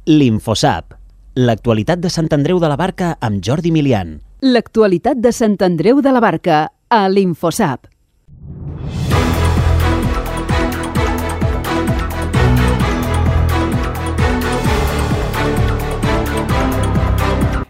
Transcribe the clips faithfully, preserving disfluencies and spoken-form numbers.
L'Infosap. L'actualitat de Sant Andreu de la Barca amb Jordi Milian. L'actualitat de Sant Andreu de la Barca a l'Infosap.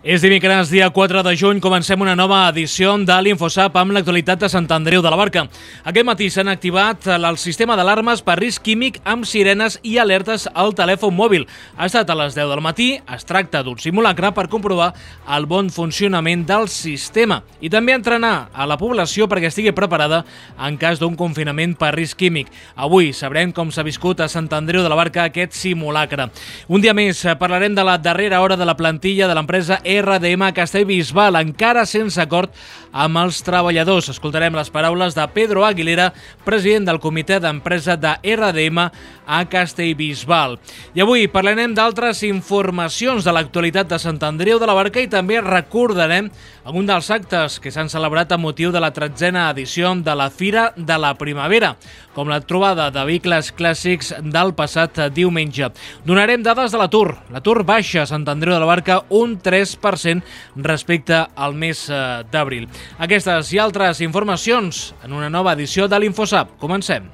És dimecres, dia quatre de juny, comencem una nova edició de l'Infosap amb l'actualitat de Sant Andreu de la Barca. Aquest matí s'han activat el sistema d'alarmes per risc químic amb sirenes i alertes al telèfon mòbil. Ha estat a les deu del matí, es tracta d'un simulacre per comprovar el bon funcionament del sistema i també entrenar a la població perquè estigui preparada en cas d'un confinament per risc químic. Avui sabrem com s'ha viscut a Sant Andreu de la Barca aquest simulacre. Un dia més parlarem de la darrera hora de la plantilla de l'empresa R D M a Castellbisbal, encara sense acord amb els treballadors. Escoltarem les paraules de Pedro Aguilera, president del comitè d'empresa de R D M a Castellbisbal. I avui parlarem d'altres informacions de l'actualitat de Sant Andreu de la Barca i també recordarem un dels actes que s'han celebrat amb motiu de la tretzena edició de la Fira de la Primavera, com la trobada de vehicles clàssics del passat diumenge. Donarem dades de l'atur. L'atur baixa a Sant Andreu de la Barca un tres per cent respecte al mes d'abril. Aquestes i altres informacions en una nova edició de l'Infosap. Comencem.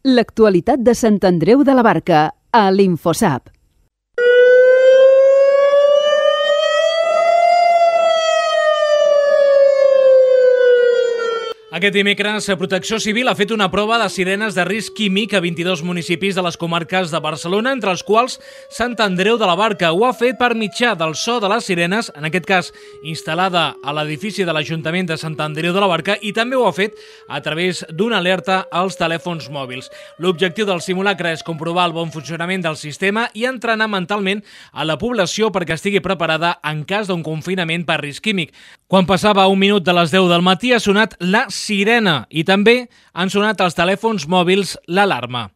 L'actualitat de Sant Andreu de la Barca a l'Infosap. Aquest dimecres, Protecció Civil ha fet una prova de sirenes de risc químic a vint-i-dos municipis de les comarques de Barcelona, entre els quals Sant Andreu de la Barca. Ho ha fet per mitjà del so de les sirenes, en aquest cas instal·lada a l'edifici de l'Ajuntament de Sant Andreu de la Barca, i també ho ha fet a través d'una alerta als telèfons mòbils. L'objectiu del simulacre és comprovar el bon funcionament del sistema i entrenar mentalment a la població perquè estigui preparada en cas d'un confinament per risc químic. Quan passava un minut de les deu del matí ha sonat la sirena i també han sonat als telèfons mòbils l'alarma.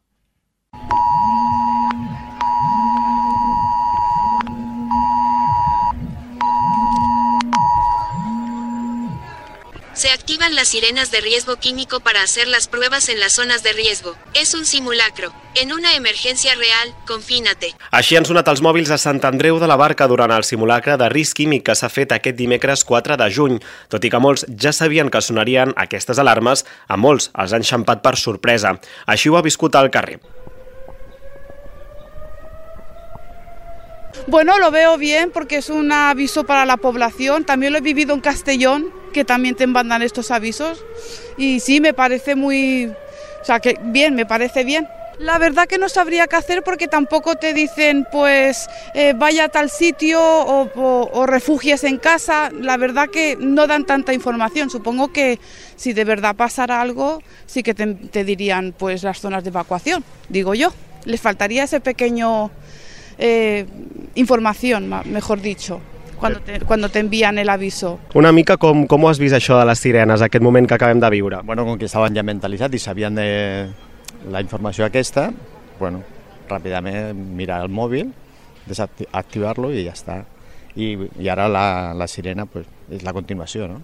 Se activan las sirenas de riesgo químico para hacer las pruebas en las zonas de riesgo. Es un simulacro. En una emergència real, confínate. Així han sonat els mòbils a Sant Andreu de la Barca durant el simulacre de risc químic que s'ha fet aquest dimecres quatre de juny. Tot i que molts ja sabien que sonarien aquestes alarmes, a molts els han xampat per sorpresa. Així ho ha viscut al carrer. Bueno, lo veo bien porque es un aviso para la población. También lo he vivido en Castellón, que también te mandan estos avisos. Y sí, me parece muy... O sea, que bien, me parece bien. La verdad que no sabría qué hacer porque tampoco te dicen, pues, eh, vaya a tal sitio o, o, o refugies en casa. La verdad que no dan tanta información. Supongo que si de verdad pasara algo, sí que te, te dirían, pues, las zonas de evacuación, digo yo. Les faltaría ese pequeño... Eh, información, mejor dicho, cuando te, cuando te envían el aviso. Una mica com, com ho has vist això de les sirenes, aquest moment que acabem de viure? Bueno, com que estaven ja mentalitzats i sabien de la informació aquesta, bueno, ràpidament mirar el mòbil, desactivar-lo i ja està. I, i ara la, la sirena pues, és la continuació, no?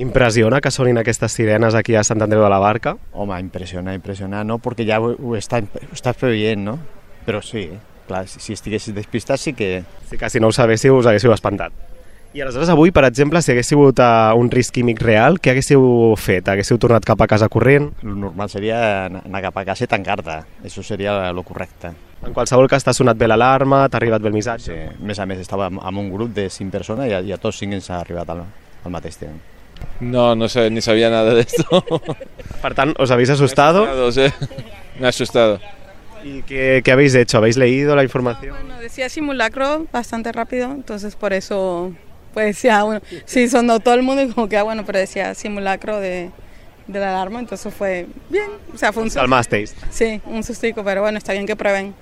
Impressiona que sonin aquestes sirenes aquí a Sant Andreu de la Barca? Home, impressiona, impressiona, no? Perquè ja ho, ho estàs, ho estàs preveient, no? Però sí, clar, si estiguessis despistat sí que... Sí que si no ho sabéssiu us haguéssiu espantat. I aleshores avui, per exemple, si haguéssiu hagut un risc químic real, què haguéssiu fet? Haguéssiu tornat cap a casa corrent? El normal seria anar cap a casa i tancar-te. Això seria el correcte. En qualsevol cas t'ha sonat bé l'alarma, t'ha arribat bé el missatge? Sí, a més a més estava amb un grup de cinc persones i a, i a tots cinc ens ha arribat al, al mateix temps. No, no sé, ni sabía nada de esto. Per tant, ¿os habéis asustado? Me he asustado, sí. Me he asustado. ¿Y qué, qué habéis hecho? ¿Habéis leído la información? Bueno, decía simulacro bastante rápido, entonces por eso, pues ya, bueno, sí, sonó todo el mundo y como que, bueno, pero decía simulacro de, de la alarma, entonces fue bien, o sea, fue un susto. ¿Calmasteis? Sí, un sustico, pero bueno, está bien que prueben.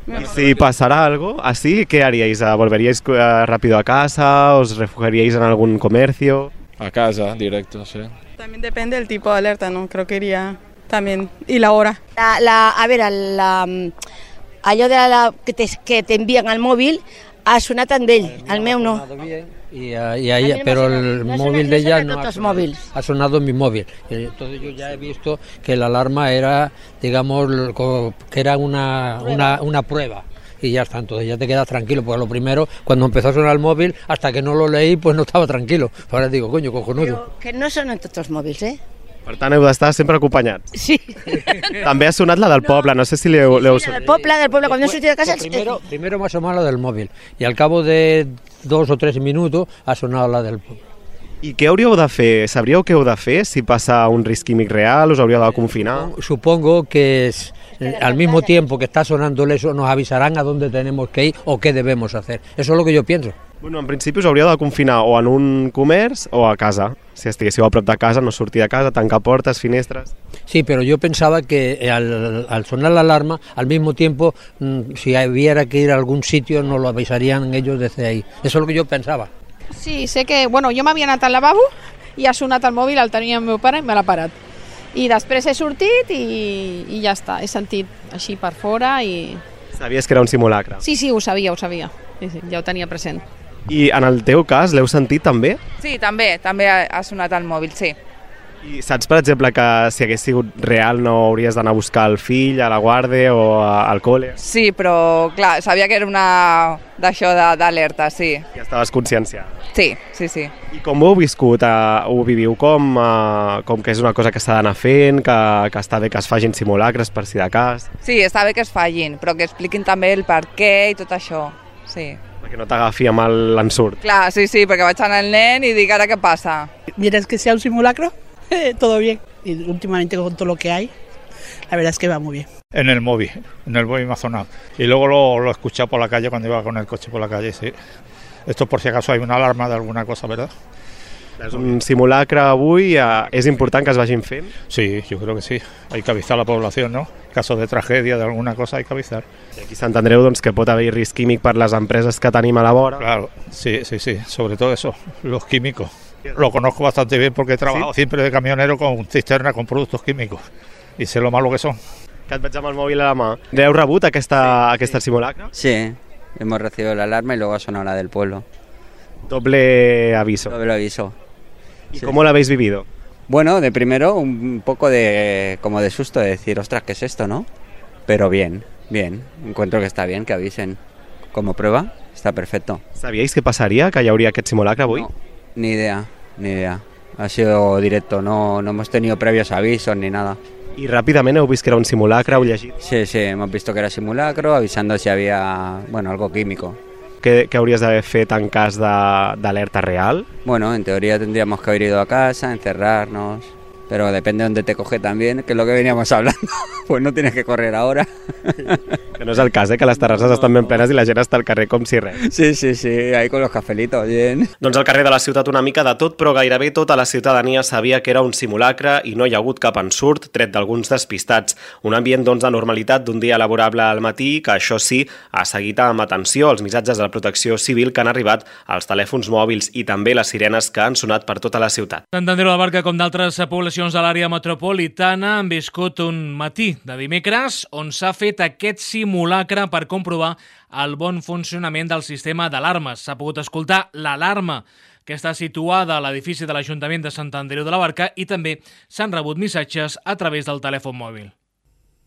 ¿Y si pasara algo así, qué haríais? ¿Volveríais rápido a casa? ¿Os refugiaríais en algún comercio? A casa, directo, sí. También depende del tipo de alerta, ¿no? Creo que iría también, y la hora. La, la, a veure, la, allò de la, que, te, que t'envien al mòbil, Ha sonat en d'ell, el meu no. Y, y ahí, no pero sonado, el no móvil sonado, de ella no no ha sonado, sonado, ha sonado en mi móvil. Entonces yo ya he visto que la alarma era, digamos, que era una, una, una prueba. Y ya está, entonces ya te quedas tranquilo, porque lo primero, cuando empezó a sonar el móvil, hasta que no lo leí, pues no estava tranquilo. Ahora digo, coño, cojonudo. Però que no sonen tots els mòbils, eh? Per tant, heu d'estar sempre acompanyats. Sí. També ha sonat la del poble, no sé si l'heu Sí, sí, del poble, del poble, cuando he sortido de casa... Primero, primero me ha sonado la del móvil, y al cabo de dos o tres minutos ha sonado la del poble. I què hauríeu de fer? Sabríeu què heu de fer si passa un risc químic real? Us hauríeu de confinar? Supongo que es, al mismo tiempo que está sonando eso, nos avisarán a dónde tenemos que ir o qué debemos hacer. Eso es lo que yo pienso. Bueno, en principi us hauríeu de confinar o en un comerç o a casa. Si estiguéssiu a prop de casa, no sortir de casa, tancar portes, finestres... Sí, pero yo pensaba que al, al sonar la alarma, al mismo tiempo, mmm, si hubiera que ir a algún sitio, nos lo avisarían ellos desde ahí. Eso es lo que yo pensaba. Sí, sé que, bueno, jo m'havia anat al lavabo i ha sonat el mòbil, el tenia el meu pare i me l'ha parat. I després he sortit i, i ja està, he sentit així per fora i... Sabies que era un simulacre? Sí, sí, ho sabia, ho sabia, sí, sí, ja ho tenia present. I en el teu cas, l'heu sentit també? Sí, també, també ha, ha sonat el mòbil, sí. I saps, per exemple, que si hagués sigut real no hauries d'anar a buscar el fill a la guàrdia o a, al col·le? Sí, però clar, sabia que era una d'això d'alerta, sí. Ja estaves conscienciada? Sí, sí, sí. I com ho heu viscut? Uh, ho viviu com, uh, com que és una cosa que s'ha d'anar fent, que, que està bé que es facin simulacres per si de cas? Sí, està bé que es facin, però que expliquin també el per què i tot això, sí. Perquè no t'agafi amb l'ensurt. Clar, sí, sí, perquè vaig anar el nen i dic, ara què passa? Mientras que sea un simulacro, todo bien. Y últimamente con todo lo que hay, la verdad es que va muy bien. En el móvil, en el móvil me ha sonado. Y luego lo, lo he escuchado por la calle cuando iba con el coche por la calle, sí. Esto por si acaso hay una alarma de alguna cosa, ¿verdad? És un simulacre avui, eh, és important que es vagin fent? Sí, yo creo que sí. Hay que avisar a la población, ¿no? En caso de tragedia, de alguna cosa, hay que avisar. I aquí a Sant Andreu, doncs, que pot haver risc químic per les empreses que tenim a la vora. Claro, sí, sí, sí. Sobre todo eso, los químicos. Lo conozco bastante bien porque he trabajado ¿Sí? siempre de camionero con cisterna con productos químicos y sé lo malo que son. Que et veig amb el mòbil a la mà. ¿Heu rebut aquesta, sí. aquesta simulacre? Sí, hemos recibido la alarma y luego ha sonado la del pueblo. Doble aviso. Doble aviso. ¿Y sí. cómo lo habéis vivido? Bueno, de primero un poco de como de susto, de decir, ostras, ¿qué es esto, no? Pero bien, bien. Encuentro que está bien que avisen. Como prueba, está perfecto. ¿Sabíais qué pasaría, que hi hauria aquest simulacre avui? No, ni idea, ni idea. Ha sido directo, no, no hemos tenido previos avisos ni nada. ¿Y rápidamente heu vist que era un simulacre? Heu llegit? Sí, sí, hemos visto que era simulacro, avisando si había, bueno, algo químico. ¿Qué, qué hauries d'haver fet en cas d'alerta real? Bueno, en teoría tendríamos que haber ido a casa, encerrarnos, pero depende de dónde te coge también, que es lo que veníamos hablando. Pues no tienes que correr ahora. Que no és el cas, eh? Que les terrasses no, estan ben plenes i la gent està al carrer com si res. Sí, sí, sí, ahí con los cafelitos, bien. Doncs al carrer de la ciutat una mica de tot, però gairebé tota la ciutadania sabia que era un simulacre i no hi ha hagut cap ensurt, tret d'alguns despistats. Un ambient, doncs, de normalitat d'un dia laborable al matí, que això sí, ha seguit amb atenció els missatges de la protecció civil que han arribat als telèfons mòbils i també les sirenes que han sonat per tota la ciutat. Sant Andreu de la Barca, com d'altres poblacions de l'àrea metropolitana, han viscut un matí de dimecres on s'ha fet aquest simulacre per comprovar el bon funcionament del sistema d'alarmes. S'ha pogut escoltar l'alarma que està situada a l'edifici de l'Ajuntament de Sant Andreu de la Barca i també s'han rebut missatges a través del telèfon mòbil.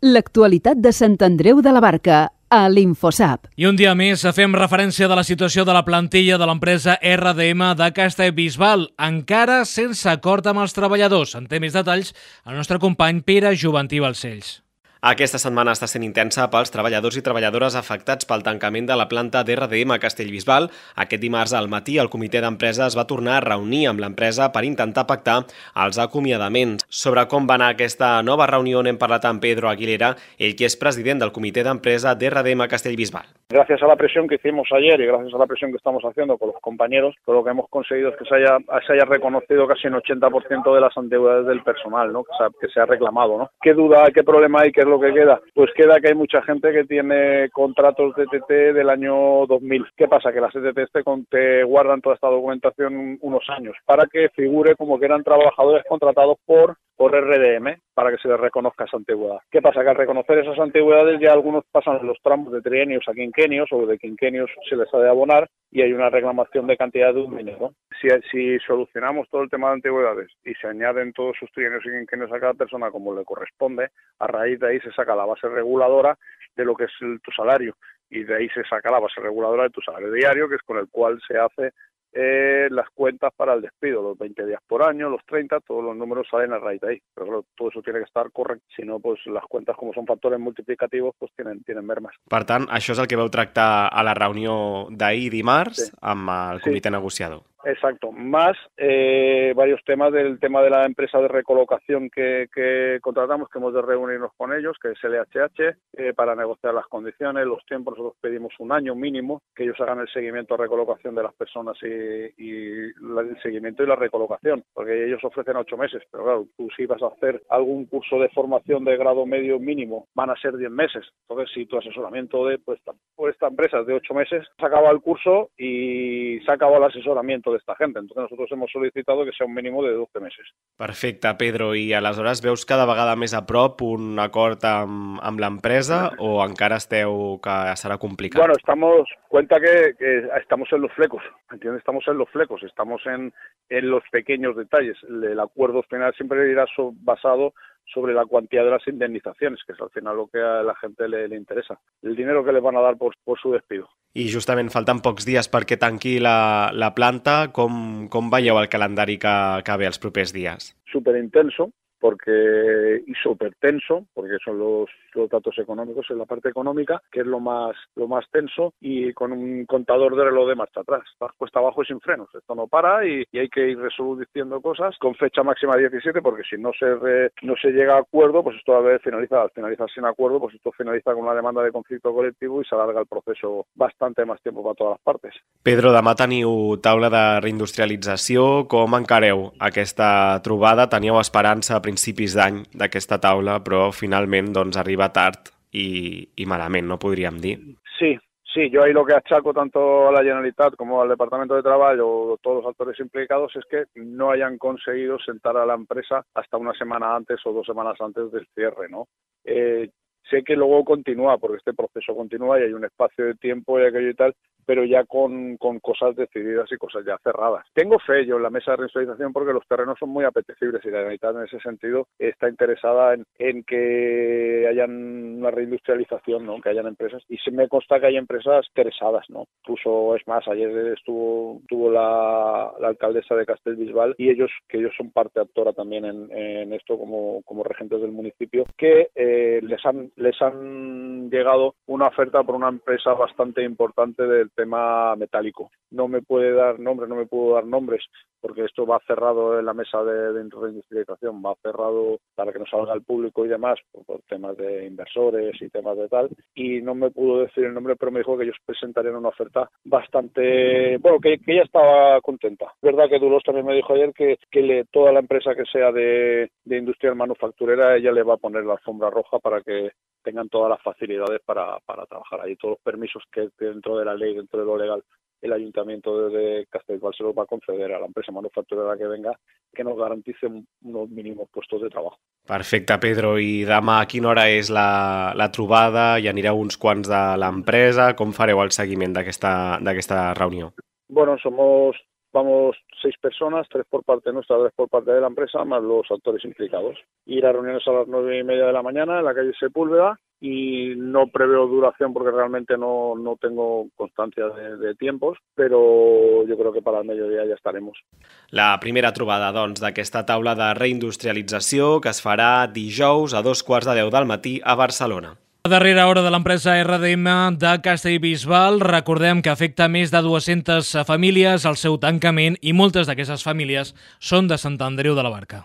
L'actualitat de Sant Andreu de la Barca a l'Infosap. I un dia més fem referència de la situació de la plantilla de l'empresa R D M de Castellbisbal, encara sense acord amb els treballadors. En té més detalls el nostre company Pere Joventí Balcells. Aquesta setmana està sent intensa pels treballadors i treballadores afectats pel tancament de la planta d'R D M a Castellbisbal. Aquest dimarts al matí el comitè d'empresa es va tornar a reunir amb l'empresa per intentar pactar els acomiadaments. Sobre com va anar aquesta nova reunió n'hem parlat amb Pedro Aguilera, ell que és president del comitè d'empresa d'R D M a Castellbisbal. Gracias a la presión que hicimos ayer y gracias a la presión que estamos haciendo con los compañeros, todo lo que hemos conseguido es que se haya, se haya reconocido casi un ochenta por ciento de las antigüedades del personal, ¿no? que, se ha, que se ha reclamado, ¿no? ¿Qué duda, qué problema hay, qué es lo que queda? Pues queda que hay mucha gente que tiene contratos de T T del año dos mil. ¿Qué pasa? Que las T T te, te guardan toda esta documentación unos años para que figure como que eran trabajadores contratados por por R D M, para que se les reconozca esa antigüedad. ¿Qué pasa? Que al reconocer esas antigüedades ya algunos pasan los tramos de trienios a quinquenios, o de quinquenios se les ha de abonar, y hay una reclamación de cantidad de un dinero. Si, si solucionamos todo el tema de antigüedades y se añaden todos sus trienios y quinquenios a cada persona como le corresponde, a raíz de ahí se saca la base reguladora de lo que es el, tu salario, y de ahí se saca la base reguladora de tu salario diario, que es con el cual se hace Eh, las cuentas para el despido, los veinte días por año, los treinta, todos los números salen a raíz de ahí, pero claro, todo eso tiene que estar correcto, si no, pues las cuentas, como son factores multiplicativos, pues tienen, tienen mermes. Per tant, això és el que vau tractar a la reunió d'ahir dimarts sí. amb el comitè sí. negociador. Exacto, más eh, varios temas del tema de la empresa de recolocación que, que contratamos, que hemos de reunirnos con ellos, que es L H H, eh, para negociar las condiciones, los tiempos. Nosotros pedimos un año mínimo, que ellos hagan el seguimiento de recolocación de las personas y, y el seguimiento y la recolocación, porque ellos ofrecen ocho meses, pero claro, tú si vas a hacer algún curso de formación de grado medio mínimo, van a ser diez meses. Entonces, si tu asesoramiento de pues, por esta empresa es de ocho meses, se acaba el curso y se acaba el asesoramiento de esta gente. Entonces nosotros hemos solicitado que sea un mínimo de doce meses. Perfecte, Pedro. I aleshores veus cada vegada més a prop un acord amb, amb l'empresa o encara esteu que serà complicat? Bueno, estamos, cuenta que, que estamos en los flecos, ¿entiendes? Estamos en los flecos, estamos en, en los pequeños detalles. El acuerdo final siempre irá so, basado sobre la cuantía de las indemnizaciones, que es al final lo que a la gente le, le interesa. El dinero que les van a dar por, por su despido. I justament falten pocs dies perquè tanqui la, la planta. Com, com veieu el calendari que, que ve els propers dies? Superintenso, porque y súper tenso, porque son los, los datos económicos en la parte económica, que es lo más lo más tenso, y con un contador de reloj de marcha atrás. Estás cuesta abajo y sin frenos. Esto no para y, y hay que ir resolviendo cosas con fecha máxima diecisiete, porque si no se re, no se llega a acuerdo, pues esto a ver finaliza, al finalizar sin acuerdo, pues esto finaliza con una demanda de conflicto colectivo y se alarga el proceso bastante más tiempo para todas las partes. Pedro, demà teniu taula de reindustrialització. Com encareu aquesta trobada? Teníeu esperança a principis d'any d'aquesta taula, però finalment doncs, arriba tard i, i malament, no podríem dir. Sí, sí, yo ahí lo que achaco tanto a la Generalitat como al Departamento de Trabajo o todos los actores implicados es que no hayan conseguido sentar a la empresa hasta una semana antes o dos semanas antes del cierre, ¿no? Eh, sé que luego continúa, porque este proceso continúa y hay un espacio de tiempo y aquello y tal, pero ya con, con cosas decididas y cosas ya cerradas. Tengo fe yo en la mesa de reindustrialización porque los terrenos son muy apetecibles y la Generalitat en ese sentido está interesada en, en que hayan una reindustrialización, ¿no? Que hayan empresas, y se me consta que hay empresas interesadas, ¿no? Incluso, es más, ayer estuvo, estuvo la, la alcaldesa de Castellbisbal y ellos, que ellos son parte actora también en, en esto como, como regentes del municipio, que eh, les han, les han llegado una oferta por una empresa bastante importante del tema metálico. No me puede dar nombres, no me puedo dar nombres, porque esto va cerrado en la mesa de, de reindustrialización, va cerrado para que no salga al público y demás, por, por temas de inversores y temas de tal, y no me pudo decir el nombre, pero me dijo que ellos presentarían una oferta bastante, bueno, que, que ella estaba contenta. Es verdad que Dulos también me dijo ayer que, que le, toda la empresa que sea de, de industria manufacturera, ella le va a poner la alfombra roja para que tengan todas las facilidades para, para trabajar ahí, todos los permisos que dentro de la ley, dentro de lo legal, el Ayuntamiento de Castellbisbal se los va a conceder a la empresa manufacturera que venga, que nos garantice unos mínimos puestos de trabajo. Perfecte, Pedro. I demà a quina hora és la, la trobada? Hi anireu uns quants de l'empresa? Com fareu el seguiment d'aquesta d'aquesta reunió? Bueno, somos... Vamos seis personas, tres por parte nuestra, tres por parte de la empresa, más los actores implicados. Ir a reuniones a las nueve y media de la mañana en la calle Sepúlveda, y no preveo duración porque realmente no, no tengo constancia de, de tiempos, però yo creo que para el mediodía ja estaremos. La primera trobada, doncs, d'aquesta taula de reindustrialització que es farà dijous a dos quarts de deu del matí a Barcelona. A darrera hora de l'empresa R D M de Castellbisbal, recordem que afecta més de dues-centes famílies al seu tancament i moltes d'aquestes famílies són de Sant Andreu de la Barca.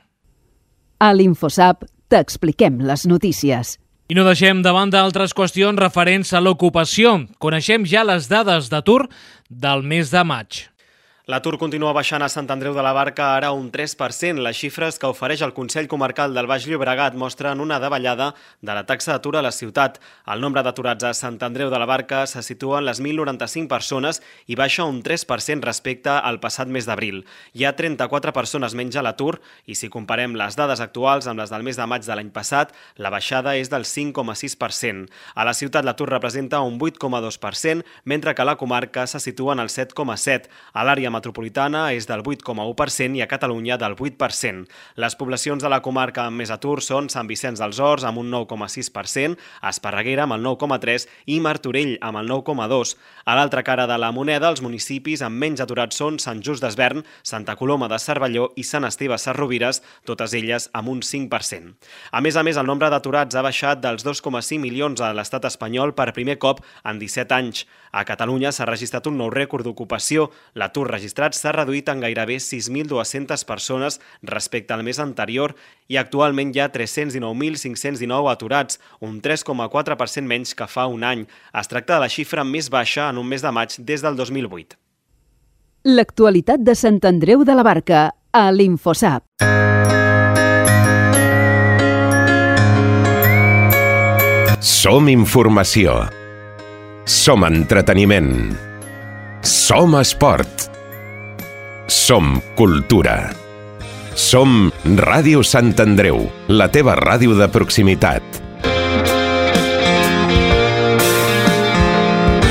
A l'InfoSap t'expliquem les notícies. I no deixem de banda altres qüestions referents a l'ocupació. Coneixem ja les dades d'atur del mes de maig. L'atur continua baixant a Sant Andreu de la Barca, ara un tres per cent. Les xifres que ofereix el Consell Comarcal del Baix Llobregat mostren una davallada de la taxa d'atur a la ciutat. El nombre d'aturats a Sant Andreu de la Barca se situa en les mil noranta-cinc persones i baixa un tres per cent respecte al passat mes d'abril. Hi ha trenta-quatre persones menys a l'atur i si comparem les dades actuals amb les del mes de maig de l'any passat, la baixada és del cinc coma sis per cent. A la ciutat l'atur representa un vuit coma dos per cent, mentre que a la comarca se situa en el set coma set per cent. A l'àrea metropolitana és del vuit coma u per cent i a Catalunya del vuit per cent. Les poblacions de la comarca amb més atur són Sant Vicenç dels Horts amb un nou coma sis per cent, Esparreguera amb el nou coma tres per cent i Martorell amb el nou coma dos per cent. A l'altra cara de la moneda, els municipis amb menys aturats són Sant Just d'Esvern, Santa Coloma de Cervelló i Sant Esteve Sesrovires, totes elles amb un cinc per cent. A més a més, el nombre d'aturats ha baixat dels dos coma cinc milions a l'estat espanyol per primer cop en disset anys. A Catalunya s'ha registrat un nou rècord d'ocupació. L'atur registrat s'ha reduït en gairebé sis mil dues-centes persones respecte al mes anterior i actualment hi ha tres-cents dinou mil cinc-cents dinou aturats, un tres coma quatre per cent menys que fa un any. Es tracta de la xifra més baixa en un mes de maig des del dos mil vuit. L'actualitat de Sant Andreu de la Barca, a l'Infosap. Som informació. Som entreteniment. Som esport. Som cultura. Som Ràdio Sant Andreu, la teva ràdio de proximitat.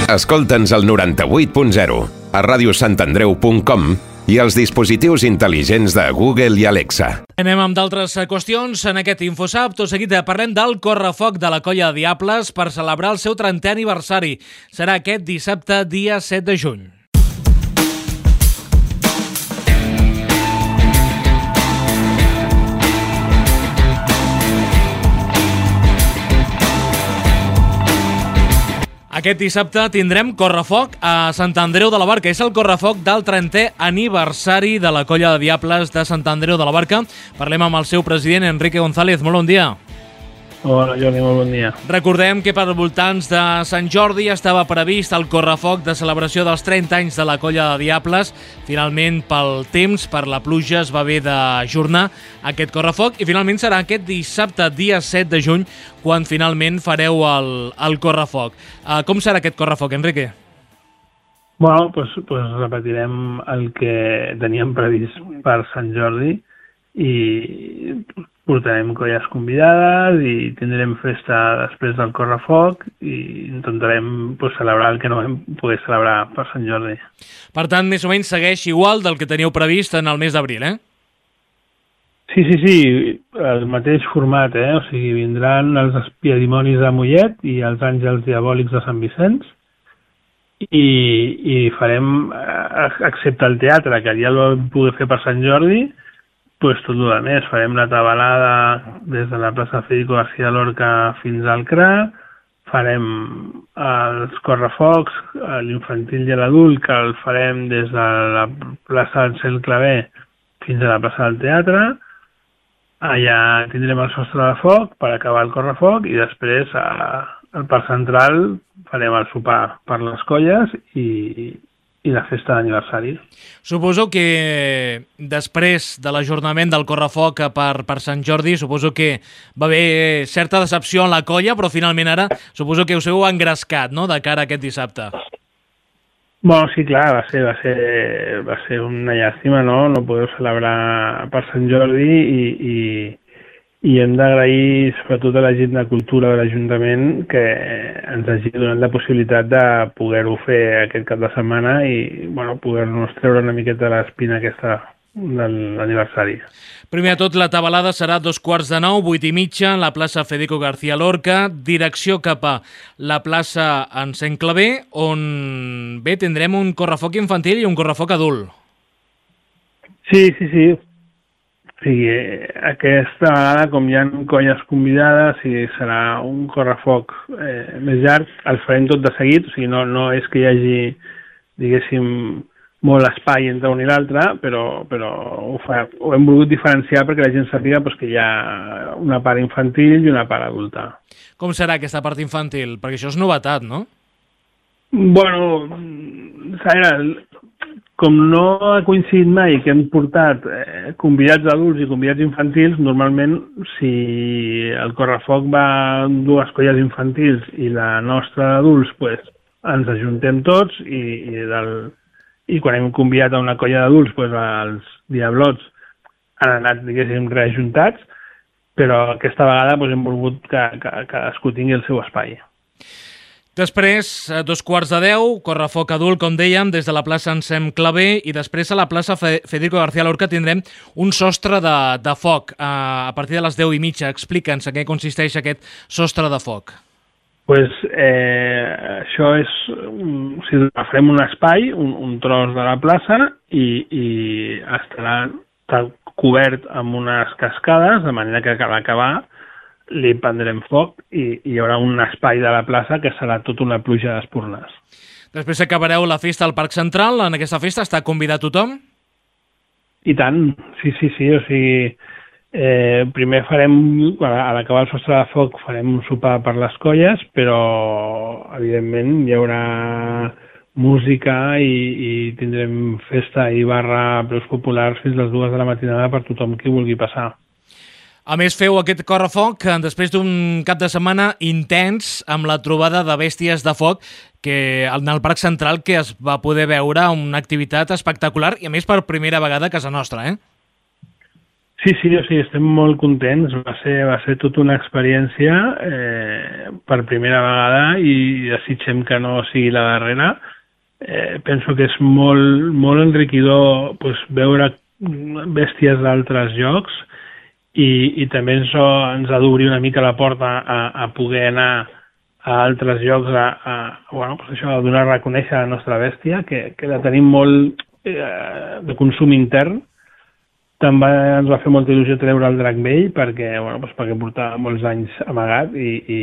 Escolta'ns al noranta-vuit punt zero, a radiosantandreu punt com i als dispositius intel·ligents de Google i Alexa. Anem amb d'altres qüestions. En aquest Infosap, tot seguit parlem del correfoc de la Colla de Diables per celebrar el seu trentè aniversari. Serà aquest dissabte, dia set de juny. Aquest dissabte tindrem correfoc a Sant Andreu de la Barca. És el correfoc del trentè aniversari de la Colla de Diables de Sant Andreu de la Barca. Parlem amb el seu president, Enrique González. Molt bon dia. Hola, Jordi, molt bon dia. Recordem que per voltants de Sant Jordi estava previst el correfoc de celebració dels trenta anys de la Colla de Diables. Finalment, pel temps, per la pluja, es va haver d'ajornar aquest correfoc i finalment serà aquest dissabte, dia set de juny, quan finalment fareu el, el correfoc. Uh, com serà aquest correfoc, Enrique? Bueno, pues, pues repetirem el que teníem previst per Sant Jordi i portarem colles convidades i tindrem festa després del correfoc i intentarem pues, celebrar el que no vam poder celebrar per Sant Jordi. Per tant, més o menys segueix igual del que teníeu previst en el mes d'abril, eh? Sí, sí, sí, el mateix format, eh? O sigui, vindran els espiadimonis de Mollet i els àngels diabòlics de Sant Vicenç i, i farem, excepte el teatre, que ja el vam poder fer per Sant Jordi, pues tot el més. Farem la tabalada des de la plaça Federico García Lorca fins al C R A, farem els correfocs, l'infantil i l'adult, que el farem des de la plaça Ansel Clavé fins a la plaça del teatre. Allà tindrem el sostre de foc per acabar el correfoc i després al parc central farem el sopar per les colles i i la festa d'aniversari. Suposo que després de l'ajornament del correfoc per, per Sant Jordi, suposo que va haver certa decepció en la colla, però finalment ara suposo que us heu engrescat, no?, de cara a aquest dissabte. Bueno, sí, clar, va ser, va ser, va ser una llàstima, no?, no poder celebrar per Sant Jordi i, i, i hem d'agrair sobretot a la gent de cultura de l'Ajuntament que ens hagi donat la possibilitat de poder-ho fer aquest cap de setmana i bueno, poder-nos treure una miqueta l'espina aquesta de l'aniversari. Primer de tot, la tabalada serà dos quarts de nou, vuit i mitja, a la plaça Federico García Lorca, direcció cap a la plaça Ansel Clavé, on bé tindrem un correfoc infantil i un correfoc adult. Sí, sí, sí. O sigui, aquesta vegada, com hi ha colles convidades, i serà un correfoc eh, més llarg, el farem tot de seguit, o sigui, no, no és que hi hagi, diguéssim, molt espai entre un i l'altre, però, però ho, fa, ho hem volgut diferenciar perquè la gent sàpiga pues, que hi ha una part infantil i una part adulta. Com serà aquesta part infantil? Perquè això és novetat, no? Bueno, com no ha coincidit mai que hem portat eh, convidats adults i convidats infantils, normalment si el correfoc va amb dues colles infantils i la nostra d'adults, pues, ens ajuntem tots i, i, del, i quan hem convidat a una colla d'adults, pues, els diablots han anat, diguéssim, reajuntats, però aquesta vegada pues, hem volgut que, que, que cadascú tingui el seu espai. Després, a dos quarts de deu, correfoc adult, com dèiem, des de la plaça Ensem Clavé, i després a la plaça Federico García Lorca tindrem un sostre de, de foc a, a partir de les deu i mitja. Explica'ns en què consisteix aquest sostre de foc. Pues, eh, això és, o sigui, farem un espai, un, un tros de la plaça i, i estarà cobert amb unes cascades, de manera que a l'acabar li prendrem foc i hi haurà un espai de la plaça que serà tota una pluja d'espurnes. Després acabareu la festa al Parc Central. En aquesta festa està convidat tothom? I tant, sí, sí, sí. O sigui, eh, primer farem, a l'acabar el sostre de foc, farem un sopar per les colles, però evidentment hi haurà música i, i tindrem festa i barra a preus populars fins a les dues de la matinada per tothom qui vulgui passar. A més, feu aquest correfoc després d'un cap de setmana intens amb la trobada de bèsties de foc que en el Parc Central, que es va poder veure una activitat espectacular i, a més, per primera vegada a casa nostra, eh? Sí, sí, o sigui, estem molt contents. Va ser, va ser tota una experiència eh, per primera vegada i desitgem que no sigui la darrera. Eh, penso que és molt, molt enriquidor pues, veure bèsties d'altres llocs I, i també ens, ens ha d'obrir una mica la porta a, a poder anar a altres llocs a, a, bueno, pues això, a donar a reconèixer la nostra bèstia, que, que la tenim molt eh, de consum intern. També ens va fer molta il·lusió treure el drac vell perquè, bueno, pues perquè portava molts anys amagat i, i,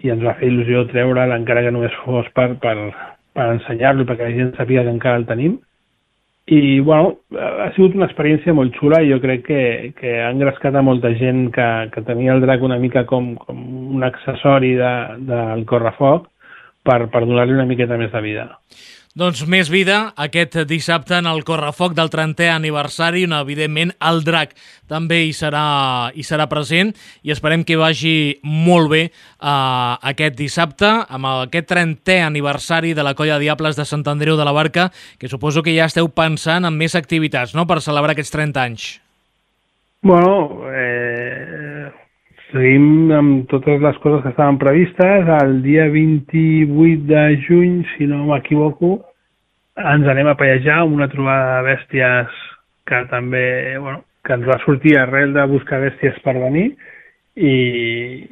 i ens va fer il·lusió treure'l encara que només fos per, per, per ensenyar-lo, perquè la gent sabia que encara el tenim. I, bueno, ha sigut una experiència molt xula i jo crec que, que ha engrescat a molta gent que, que tenia el drac una mica com, com un accessori de, del correfoc per, per donar-li una miqueta més de vida. Doncs més vida aquest dissabte en el correfoc del trentè aniversari, on evidentment el drac també hi serà, hi serà present i esperem que vagi molt bé uh, aquest dissabte amb aquest trentè aniversari de la Colla de Diables de Sant Andreu de la Barca, que suposo que ja esteu pensant en més activitats, no?, per celebrar aquests trenta anys. Bueno, eh, seguim amb totes les coses que estaven previstes. El dia vint-i-vuit de juny, si no m'equivoco, ens anem a pellejar amb una trobada de bèsties que també, bueno, que ens va sortir arrel de buscar bèsties per venir i,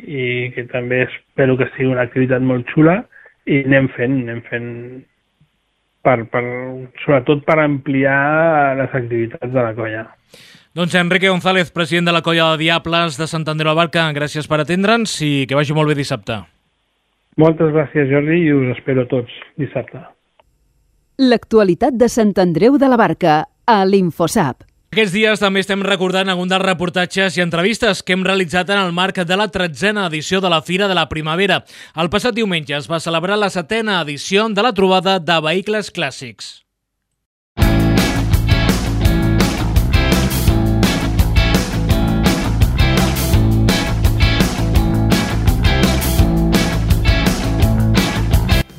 i que també espero que sigui una activitat molt xula i anem fent, anem fent per, per, sobretot per ampliar les activitats de la colla. Doncs Enrique González, president de la Colla de Diables de Sant Andreu de la Barca, gràcies per atendre'ns i que vagi molt bé dissabte. Moltes gràcies, Jordi, i us espero tots dissabte. L'actualitat de Sant Andreu de la Barca, a l'Infosap. Aquests dies també estem recordant algun dels reportatges i entrevistes que hem realitzat en el marc de la tretzena edició de la Fira de la Primavera. El passat diumenge es va celebrar la setena edició de la trobada de vehicles clàssics.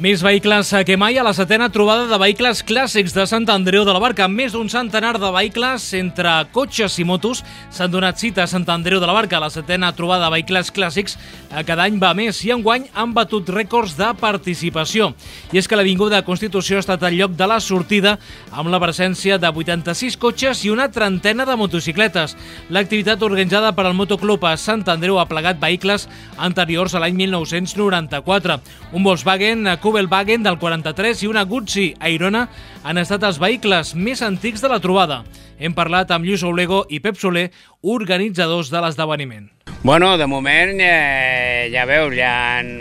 Més vehicles que mai a la setena trobada de vehicles clàssics de Sant Andreu de la Barca. Més d'un centenar de vehicles entre cotxes i motos s'han donat cita a Sant Andreu de la Barca. La setena trobada de vehicles clàssics cada any va més i enguany han batut rècords de participació. I és que l'Avinguda Constitució ha estat el lloc de la sortida amb la presència de vuitanta-sis cotxes i una trentena de motocicletes. L'activitat organitzada per al Motoclub a Sant Andreu ha plegat vehicles anteriors a l'any mil nou-cents noranta-quatre. Un Volkswagen Kubelwagen del quaranta-tres i una Guzzi Airona han estat els vehicles més antics de la trobada. Hem parlat amb Lluís Oblego i Pep Soler, organitzadors de l'esdeveniment. Bueno, de moment eh, ja veus, ja han...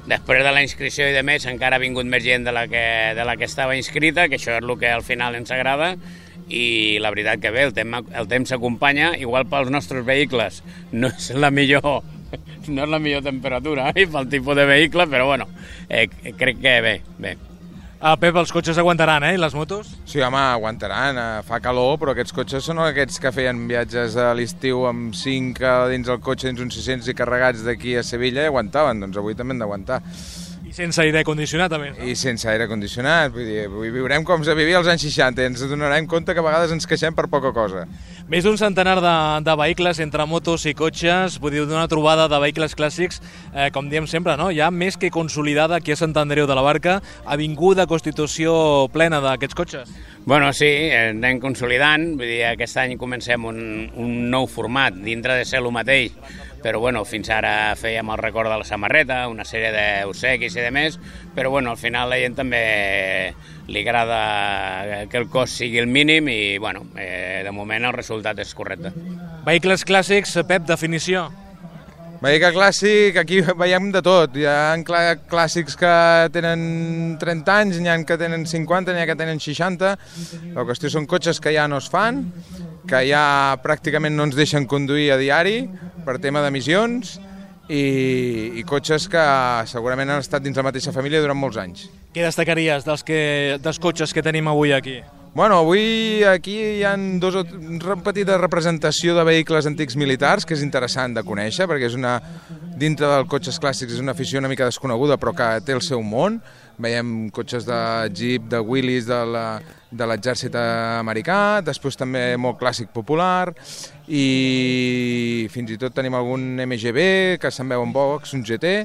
després de la inscripció i de més encara ha vingut més gent de la, que, de la que estava inscrita, que això és el que al final ens agrada, i la veritat que bé, el temps, el temps s'acompanya, igual pels nostres vehicles no és la millor... no és la millor temperatura eh, pel tipus de vehicle, però bueno, eh, crec que bé, bé. Ah, Pep, els cotxes aguantaran, eh, i les motos? Sí, home, aguantaran, eh, fa calor, però aquests cotxes són aquests que feien viatges a l'estiu amb cinc dins el cotxe, dins uns sis-cents i carregats d'aquí a Sevilla i aguantaven, doncs avui també han d'aguantar. I sense aire condicionat, també. I sense aire condicionat, vull dir, avui viurem com se vivia als anys seixanta i ens donarem compte que a vegades ens queixem per poca cosa. Més d'un centenar de, de vehicles entre motos i cotxes, vull dir, d'una trobada de vehicles clàssics, eh, com diem sempre, no? Ja més que consolidada aquí a Sant Andreu de la Barca, avinguda constitució plena d'aquests cotxes. Bueno, sí, anem consolidant, vull dir, aquest any comencem un, un nou format, dintre de ser el mateix, però bueno, fins ara fèiem el record de la samarreta, una sèrie d'obsequis i de més, però bueno, al final la gent també li agrada que el cost sigui el mínim i bueno, eh, de moment el resultat és correcte. Vehicles clàssics, Pep, definició? Vehicle clàssic, aquí veiem de tot. Hi ha clà clàssics que tenen trenta anys, n'hi ha que tenen cinquanta, n'hi ha que tenen seixanta. La qüestió són cotxes que ja no es fan, que ja pràcticament no ens deixen conduir a diari per tema d'emissions i, i cotxes que segurament han estat dins la mateixa família durant molts anys. Què destacaries dels, que, dels cotxes que tenim avui aquí? Bueno, avui aquí hi ha dos, una petita representació de vehicles antics militars que és interessant de conèixer perquè és una, dintre dels cotxes clàssics és una afició una mica desconeguda però que té el seu món. Veiem cotxes de Jeep, de Willys, de l'exèrcit americà, després també molt clàssic popular i fins i tot tenim algun M G B que se'n veuen pocs, un G T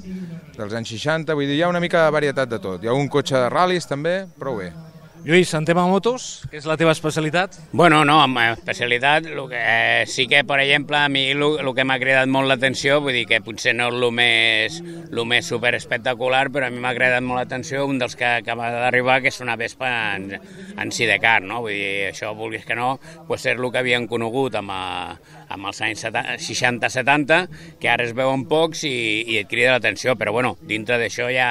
dels anys seixanta, vull dir, hi ha una mica de varietat de tot. Hi ha un cotxe de ral·lis també, prou bé. Lluís, en tema motos, què és la teva especialitat? Bueno, no, amb especialitat, lo que, eh, sí que, per exemple, a mi el que m'ha cridat molt l'atenció, vull dir que potser no és el més, lo més super espectacular, però a mi m'ha cridat molt l'atenció un dels que acaba d'arribar, que és una Vespa en, en sidecar, no? Vull dir, això, vulguis que no, pues és el que havien conegut amb, a, amb els anys seixanta setanta, que ara es veuen pocs i, i et crida l'atenció, però bueno, dintre d'això hi ha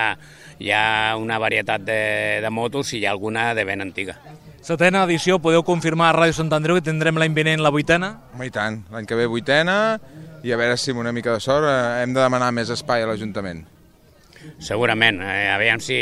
hi ha una varietat de, de motos i hi ha alguna de ben antiga. Setena edició, podeu confirmar a Ràdio Sant Andreu que tindrem l'any vinent la vuitena? Home, i tant, l'any que ve vuitena i a veure si amb una mica de sort hem de demanar més espai a l'Ajuntament. Segurament, eh, aviam si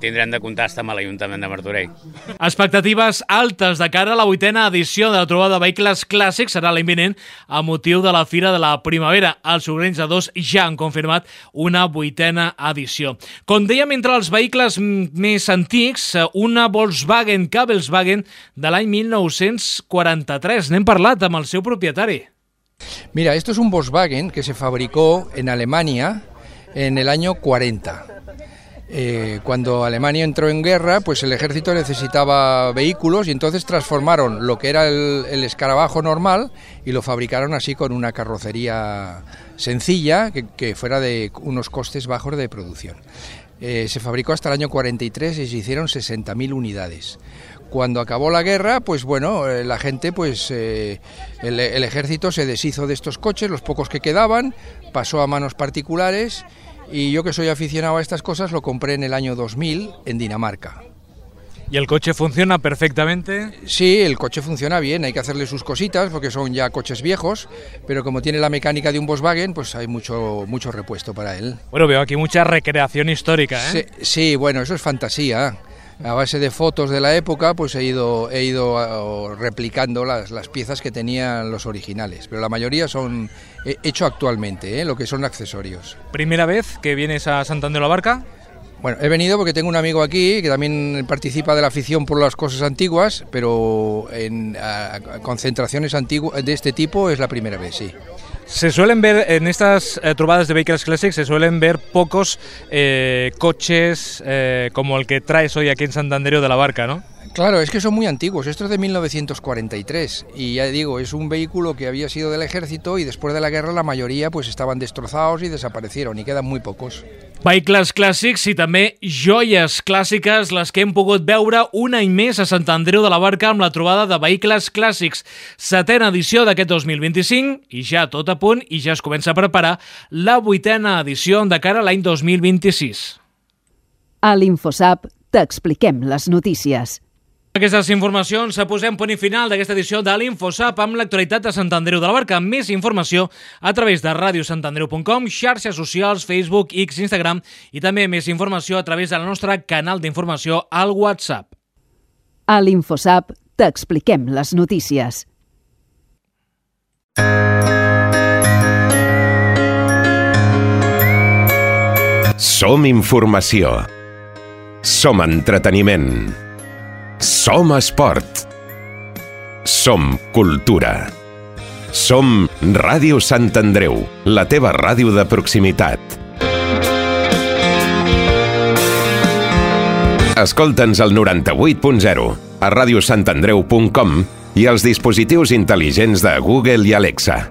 tindrem de contactar amb l'Ajuntament de Martorell. Expectatives altes de cara a la vuitena edició de la trobada de vehicles clàssics serà l'any vinent a motiu de la Fira de la Primavera. Els Sorrencs de Dos ja han confirmat una vuitena edició. Com dèiem, entre els vehicles més antics, una Volkswagen Cabelswagen de l'any mil nou-cents quaranta-tres. N'hem parlat amb el seu propietari. Mira, esto es un Volkswagen que se fabricó en Alemania en el año cuarenta. Eh, cuando Alemania entró en guerra, pues el ejército necesitaba vehículos y entonces transformaron lo que era el, el escarabajo normal y lo fabricaron así con una carrocería sencilla que, que fuera de unos costes bajos de producción. Eh, se fabricó hasta el año cuarenta y tres y se hicieron sesenta mil unidades. Cuando acabó la guerra, pues bueno, eh, la gente, pues eh, el, el ejército se deshizo de estos coches, los pocos que quedaban, pasó a manos particulares y yo que soy aficionado a estas cosas lo compré en el año dos mil en Dinamarca. ¿Y el coche funciona perfectamente? Sí, el coche funciona bien, hay que hacerle sus cositas porque son ya coches viejos, pero como tiene la mecánica de un Volkswagen, pues hay mucho, mucho repuesto para él. Bueno, veo aquí mucha recreación histórica, ¿eh? Sí, sí, bueno, eso es fantasía. A base de fotos de la época, pues he ido, he ido replicando las, las piezas que tenían los originales, pero la mayoría son hecho actualmente, ¿eh? Lo que son accesorios. ¿Primera vez que vienes a Sant Andreu de la Barca? Bueno, he venido porque tengo un amigo aquí que también participa de la afición por las cosas antiguas, pero en a, a concentraciones antiguas de este tipo es la primera vez, sí. Se suelen ver, en estas eh, trovadas de vehículos clásicos, se suelen ver pocos eh, coches eh, como el que traes hoy aquí en Sant Andreu de la Barca, ¿no? Claro, es que son muy antiguos, esto es de mil novecientos cuarenta y tres y ya digo, es un vehículo que había sido del ejército y después de la guerra la mayoría pues estaban destrozados y desaparecieron y quedan muy pocos. Vehicles clàssics i també joies clàssiques, les que hem pogut veure un any més a Sant Andreu de la Barca amb la trobada de vehicles clàssics. Setena edició d'aquest dos mil vint-i-cinc i ja tot a punt i ja es comença a preparar la vuitena edició de cara a l'any dos mil vint-i-sis. A l'InfoSap t'expliquem les notícies. Aquestes informacions posem punt i final d'aquesta edició de l'InfoSap amb l'actualitat de Sant Andreu de la Barca. Més informació a través de ràdio sant andreu punt com, xarxes socials, Facebook, X, Instagram i també més informació a través del nostre canal d'informació al WhatsApp. A l'InfoSap t'expliquem les notícies. Som informació. Som entreteniment. Som esport. Som cultura. Som Ràdio Sant Andreu, la teva ràdio de proximitat. Escolta'ns al noranta-vuit punt zero, a ràdio sant andreu punt com i als dispositius intel·ligents de Google i Alexa.